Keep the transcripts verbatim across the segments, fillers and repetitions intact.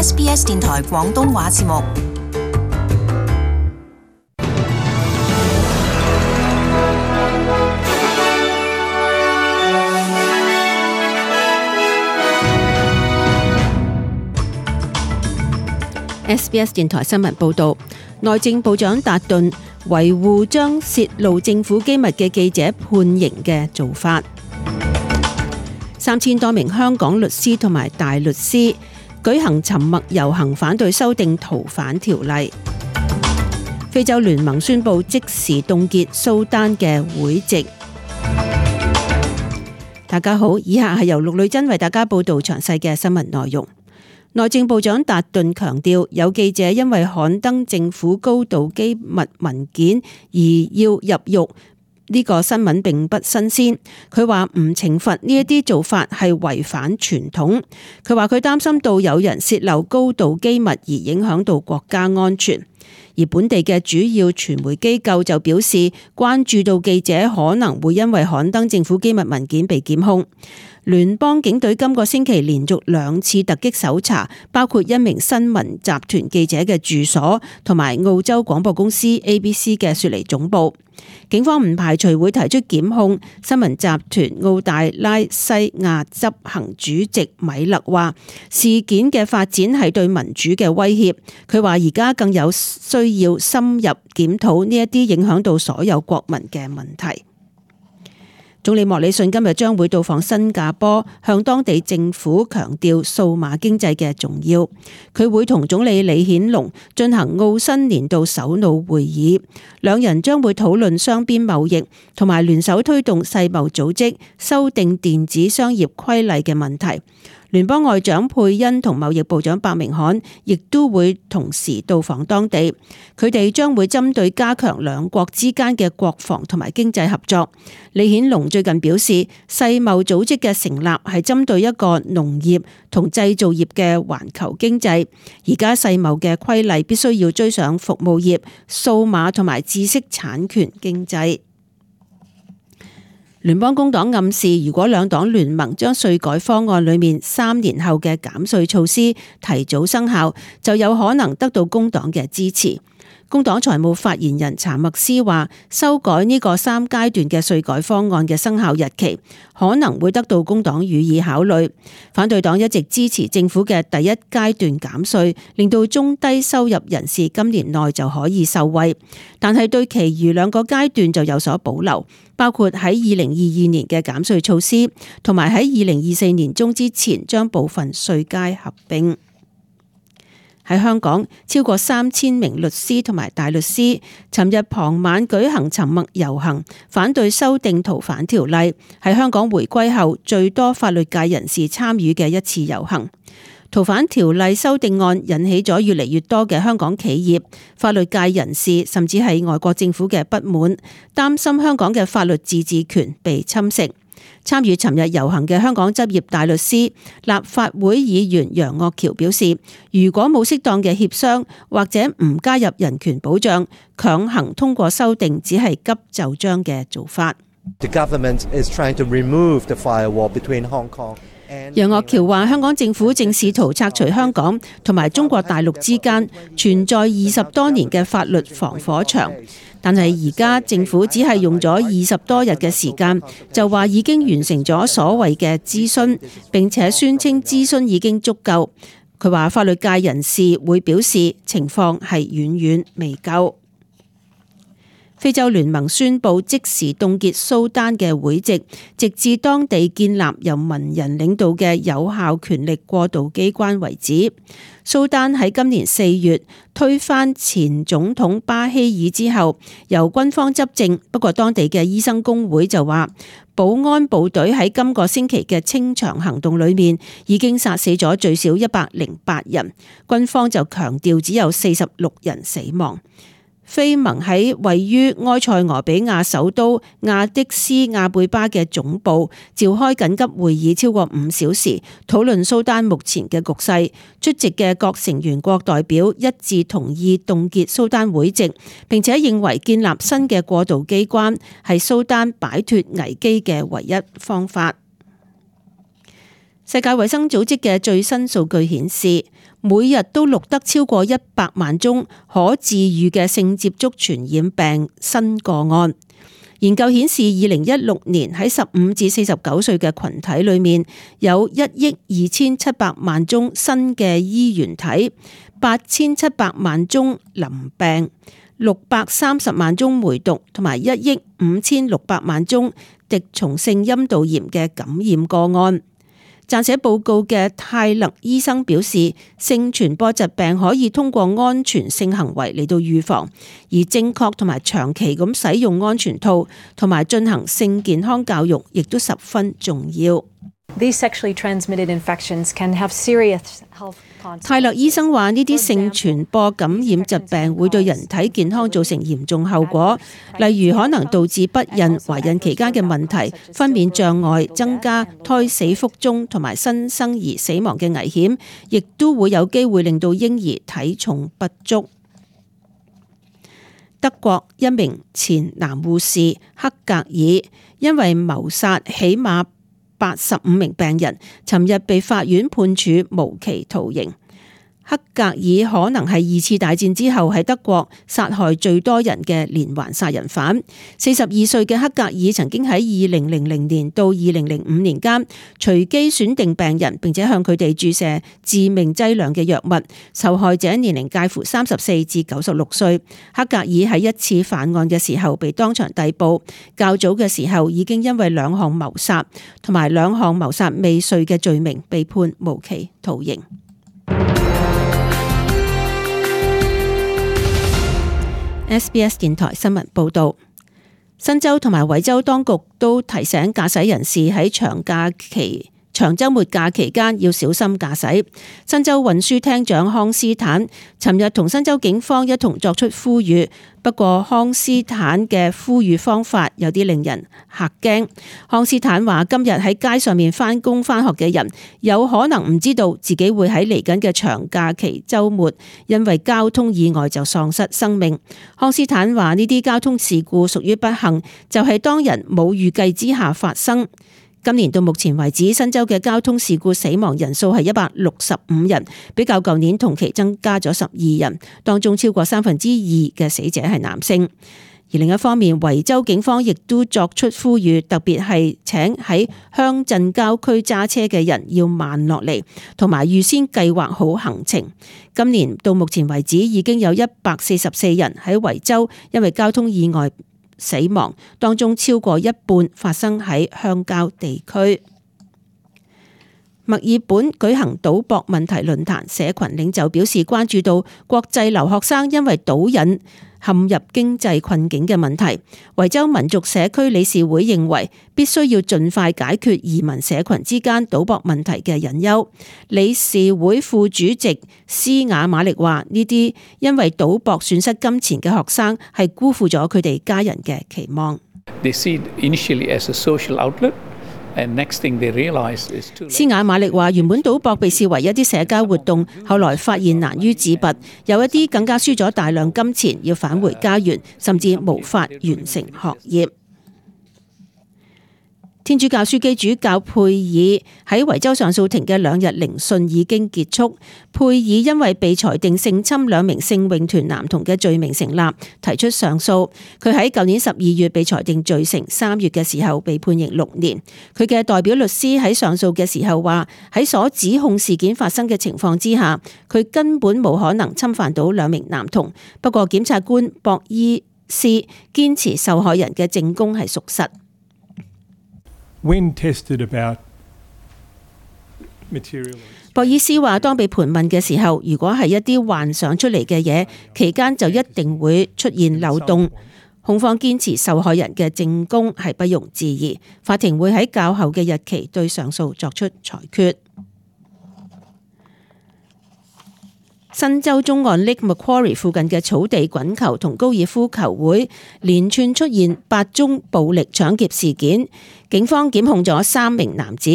S B S 電台廣東話節目。S B S 電台新聞報道，內政部長達頓維護將泄露政府機密嘅記者判刑嘅做法。三千多名香港律師同埋大律師舉行沉默遊行，反對修訂逃犯條例。非洲聯盟宣布即時凍結蘇丹嘅會籍。大家好，以下係由陸女珍為大家報道詳細嘅新聞內容。內政部長達頓強調，有記者因為刊登政府高度機密文件而要入獄，呢個新聞並不新鮮。佢話唔懲罰呢一啲做法係違反傳統。佢話佢擔心到有人洩漏高度機密而影響到國家安全。而本地嘅主要傳媒機構就表示，關注到記者可能會因為刊登政府機密文件被檢控。聯邦警隊今個星期連續兩次突擊搜查，包括一名新聞集團記者嘅住所，同埋澳洲廣播公司 A B C 嘅雪梨總部。警方唔排除會提出檢控。新聞集團澳大拉西亞執行主席米勒話，事件嘅發展係對民主嘅威脅。佢話而家更有需要深入檢討呢一啲影響到所有國民嘅問題。總理莫里遜今日將會到訪新加坡，向當地政府強調數碼經濟嘅重要。佢會同總理李顯龍進行澳新年度首腦會議，兩人將會討論雙邊貿易同埋聯手推動世貿組織修訂電子商業規例嘅問題。聯邦外長佩恩同貿易部長白明翰亦都會同時到訪當地，佢哋將會針對加強兩國之間嘅國防同埋經濟合作。李顯龍最近表示，世貿組織嘅成立係針對一個農業同製造業嘅環球經濟，而家世貿嘅規例必須要追上服務業、數碼同埋知識產權經濟。聯邦工黨暗示，如果兩黨聯盟將稅改方案裏面三年後嘅減稅措施提早生效，就有可能得到工黨嘅支持。工黨財務發言人查默斯話，修改呢個三階段嘅稅改方案嘅生效日期可能會得到工黨予以考慮。反對黨一直支持政府嘅第一階段減稅，令到中低收入人士今年內就可以受惠，但係對其餘兩個階段就有所保留，包括喺二零二二年嘅減稅措施，同埋喺二零二四年中之前將部分稅階合併。喺香港，超過三千名律師同埋大律師尋日傍晚舉行沉默遊行，反對修訂逃犯條例，係香港回歸後最多法律界人士參與嘅一次遊行。逃犯條例修訂案引起咗越嚟越多嘅香港企業、法律界人士，甚至係外國政府嘅不滿，擔心香港嘅法律自治權被侵蝕。參與尋日遊行嘅香港執業大律師、立法會議員楊岳橋表示，如果冇適當嘅協商或者唔加入人權保障，強行通過修訂只係急就章嘅做法。The government is trying to remove the firewall between Hong Kong. 楊岳橋話：香港政府正試圖拆除香港同埋中國大陸之間存在二十多年嘅法律防火牆，但係而家政府只係用咗二十多日嘅時間，就話已經完成咗所謂嘅諮詢，並且宣稱諮詢已經足夠。佢話法律界人士會表示情況係遠遠未夠。非洲聯盟宣布即時凍結蘇丹嘅會籍，直至當地建立由文人領導嘅有效權力過渡機關為止。蘇丹喺今年四月推翻前總統巴希爾之後，由軍方執政，不過當地嘅醫生工會就話，保安部隊喺今個星期嘅清場行動裏面已經殺死咗最少一百零八人，軍方就強調只有四十六人死亡。非盟喺位於埃塞俄比亞首都亞的斯亞貝巴嘅總部召開緊急會議，超過五小時，討論蘇丹目前嘅局勢。出席嘅各成員國代表一致同意凍結蘇丹會籍，並且認為建立新嘅過渡機關係蘇丹擺脫危機嘅唯一方法。世界衛生組織嘅最新數據顯示，每日都錄得超過一百萬宗可治癒嘅性接觸傳染病新個案。研究顯示，二零一六年喺十五至四十九歲嘅群體裏面，有一億二千七百萬宗新嘅衣原體，八千七百萬宗淋病，六百三十萬宗梅毒，同埋一億五千六百萬宗滴蟲性陰道炎嘅感染個案。撰寫報告嘅泰勒醫生表示，性傳播疾病可以通過安全性行為嚟到預防，而正確同埋長期咁使用安全套同埋進行性健康教育，亦都十分重要。These sexually transmitted infections can have serious health consequences. 泰勒醫生話：呢啲性傳播感染疾病會對人體健康造成嚴重後果，例如可能導致不孕、懷孕期間嘅問題、分娩障礙、增加胎死腹中同埋新生兒死亡嘅危險，亦都會有機會令到嬰兒體重不足。德國一名前男護士克格爾因為謀殺起碼八十五名病人，尋日被法院判處無期徒刑。克格爾可能係二次大戰之後喺德國殺害最多人嘅連環殺人犯。四十二歲嘅克格爾曾經喺二零零零年到二零零五年間隨機選定病人，並且向佢哋注射致命劑量嘅藥物。受害者年齡介乎三十四至九十六歲。克格爾喺一次犯案嘅時候被當場逮捕，較早嘅時候已經因為兩項謀殺同埋兩項謀殺未遂嘅罪名被判無期徒刑。S B S 電台新聞報道，新州同埋維州當局都提醒駕駛人士喺長假期、長週末假期間要小心駕駛。新州運輸廳長康斯坦尋日同新州警方一同作出呼籲，不過康斯坦嘅呼籲方法有啲令人嚇驚。康斯坦話：今日喺街上面返工返學嘅人有可能唔知道自己會喺嚟緊嘅長假期週末因為交通意外就喪失生命。康斯坦話：呢啲交通事故屬於不幸，就係當人冇預計之下發生。今年到目前為止，新州嘅交通事故死亡人數係一百六十五人，比較舊年同期增加咗十二人，當中超過三分之二嘅死者係男性。而另一方面，維州警方亦都作出呼籲，特別係請喺鄉鎮郊區揸車嘅人要慢落嚟，同埋預先計劃好行程。今年到目前為止，已經有一百四十四人喺維州因為交通意外死亡，當中超過一半發生喺鄉郊地區。墨爾本舉行賭博問題論壇，社群領袖表示關注到國際留學生因為賭癮陷入經濟困境嘅問題。維州民族社區理事會認為必須要盡快解決移民社群之間賭博問題嘅隱憂。理事會副主席斯雅馬力話：呢啲因為賭博損失金錢嘅學生係辜負咗佢哋家人嘅期望。They see it initially as a social outlet. And next thing they realize is to... 斯雅馬力話：原本賭博被視為一啲社交活動，後來發現難於自拔，有一啲更加輸咗大量金錢，要返回家園，甚至無法完成學業。天主教樞機主教佩爾喺維州上訴庭嘅兩日聆訊已經結束。佩爾因為被裁定性侵兩名聖詠團男童嘅罪名成立，提出上訴。佢喺舊年十二月被裁定罪成，三月嘅時候被判刑六年。佢嘅代表律師喺上訴嘅時候話：喺所指控事件發生嘅情況之下，佢根本冇可能侵犯到兩名男童。不過檢察官博伊斯堅持受害人嘅證供係屬實。When tested about material. 博爾斯話：當被盤問嘅時候，如果係一啲幻想出嚟嘅嘢，期間就一定會出現漏洞。控方堅持受害人嘅證供係不容置疑，法庭會喺較後嘅日期對上訴作出裁決。新州中岸 Lake Macquarie 附近嘅草地滾球同高爾夫球會連串出現八宗暴力搶劫事件，警方檢控咗三名男子。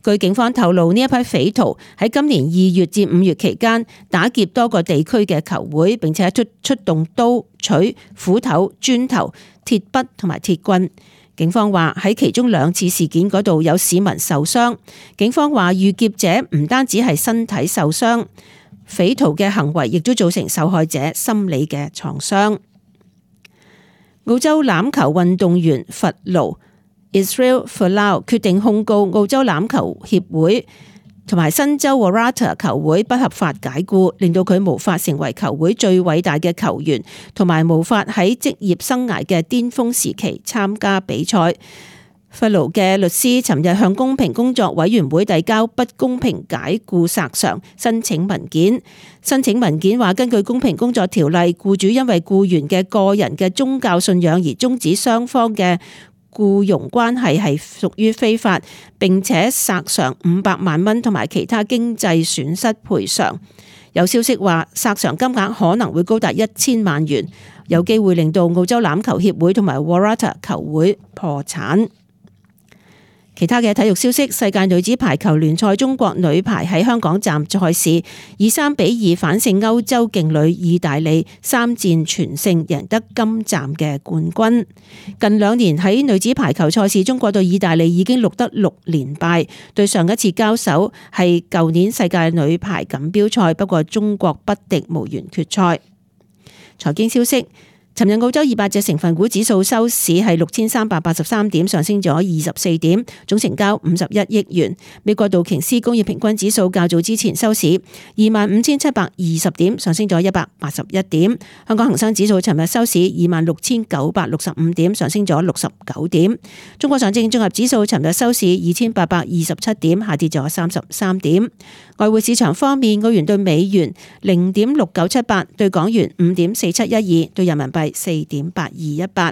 據警方透露，呢一批匪徒喺今年二月至五月期間打劫多個地區嘅球會，並且出出動刀、錘、斧頭、磚頭、鐵筆同埋鐵棍。警方話喺其中兩次事件嗰度有市民受傷。警方話遇劫者唔單止係身體受傷，匪徒嘅行為亦都造成受害者心理嘅創傷。澳洲欖球運動員弗勞 Israel Folau 決定控告澳洲欖球協會同埋新州 Waratah 球會不合法解僱，令到佢無法成為球會最偉大嘅球員，同埋無法喺職業生涯嘅巔峰時期參加比賽。弗勞嘅律師尋日向公平工作委員會遞交不公平解僱索償申請文件。申請文件話，根據公平工作條例，僱主因為僱員嘅個人嘅宗教信仰而終止雙方嘅僱傭關係係屬於非法，並且索償五百萬蚊同埋其他經濟損失賠償。有消息話，索償金額可能會高達一千萬元，有機會令到澳洲欖球協會同埋 Waratah 球會破產。其他嘅體育消息，世界女子排球聯賽中國女排喺香港站賽事以三比二反勝歐洲勁旅意大利，三戰全勝，贏得今站嘅冠軍。近兩年喺女子排球賽事，中國對意大利已經錄得六連敗，對上一次交手係舊年世界女排錦標賽，不過中國不敵，無緣決賽。財經消息。尋日澳洲二百隻成分股指數收市係六千三百八十三點，上升咗二十四點，總成交五十一億元。美國道瓊斯工業平均指數較早之前收市二萬五千七百二十點，上升咗一百八十一點。香港恒生指數尋日收市二萬六千九百六十五點，上升咗六十九點。中國上證綜合指數尋日收市二千八百二十七點，下跌咗三十三點。外匯市場方面，澳元對美元零點六九七八，對港元五點四七一二，對人民幣四點八二一八。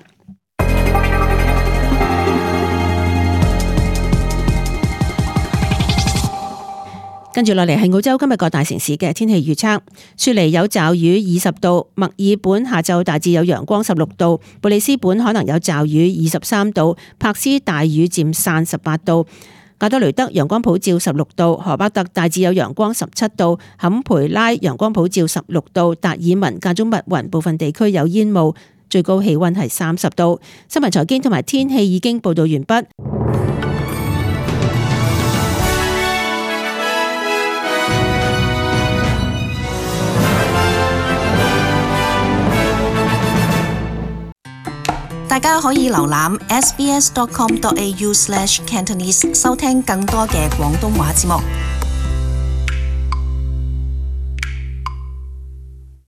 跟住落嚟係澳洲今日各大城市嘅天氣預測：雪梨有驟雨二十度，墨爾本下晝大致有陽光十六度，布里斯本可能有驟雨二十三度，柏斯大雨漸散十八度。亞德雷德陽光普照十六度，荷巴特大致有陽光十七度，坎培拉陽光普照十六度，達爾文間中密雲，部分地區有煙霧，最高氣溫係三十度。新聞財經同埋天氣已經報道完畢。大家可以瀏覽 s b s dot com dot a u slash cantonese 收聽更多嘅廣東話節目。